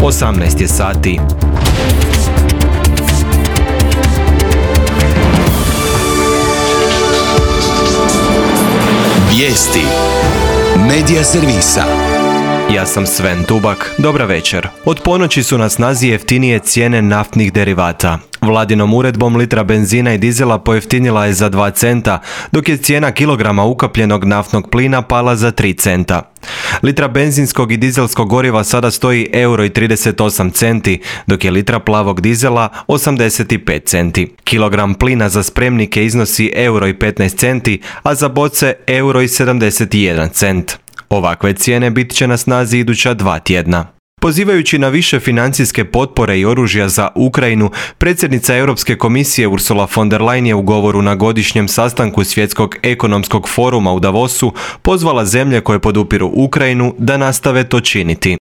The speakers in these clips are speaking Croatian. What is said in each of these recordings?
18 je sati. Vijesti Medija servisa. Ja sam Sven Tubak, dobra večer. Od ponoći su na snazi jeftinije cijene naftnih derivata. Vladinom uredbom litra benzina i dizela pojeftinila je za 2 centa, dok je cijena kilograma ukapljenog naftnog plina pala za 3 centa. Litra benzinskog i dizelskog goriva sada stoji €1,38, dok je litra plavog dizela 85 centi. Kilogram plina za spremnike iznosi €1,15, a za boce €1,71. Ovakve cijene bit će na snazi iduća 2 tjedna. Pozivajući na više financijske potpore i oružja za Ukrajinu, predsjednica Europske komisije Ursula von der Leyen je u govoru na godišnjem sastanku Svjetskog ekonomskog foruma u Davosu pozvala zemlje koje podupiru Ukrajinu da nastave to činiti.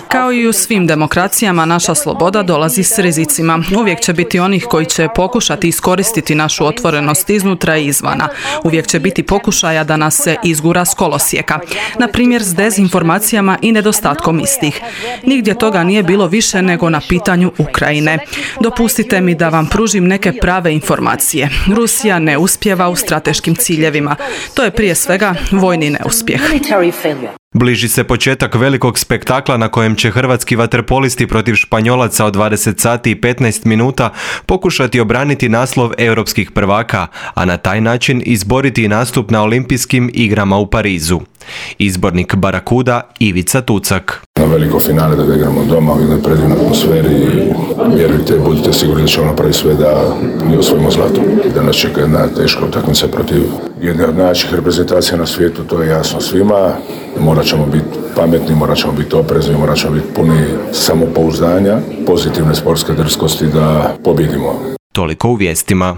Kao i u svim demokracijama, naša sloboda dolazi s rizicima. Uvijek će biti onih koji će pokušati iskoristiti našu otvorenost iznutra i izvana. Uvijek će biti pokušaja da nas se izgura s kolosijeka. Na primjer s dezinformacijama i nedostatkom istih. Nigdje toga nije bilo više nego na pitanju Ukrajine. Dopustite mi da vam pružim neke prave informacije. Rusija ne uspijeva u strateškim ciljevima. To je prije svega vojni neuspjeh. Bliži se početak velikog spektakla na kojem će hrvatski vaterpolisti protiv Španjolaca od 20 sati i 15 minuta pokušati obraniti naslov europskih prvaka, a na taj način izboriti nastup na olimpijskim igrama u Parizu. Izbornik Barakuda Ivica Tucak. Na veliko finale da igramo doma u jednoj predivnoj atmosferi i vjerujte, budite sigurni da ćemo napraviti sve da mi osvojimo zlato. Da nas čeka jedna teška utakmica protiv jedne od najjačih reprezentacija na svijetu, to je jasno svima. Morat ćemo biti pametni, morat ćemo biti oprezni, morat ćemo biti puni samopouzdanja, pozitivne sportske drskosti da pobjedimo. Toliko u vijestima.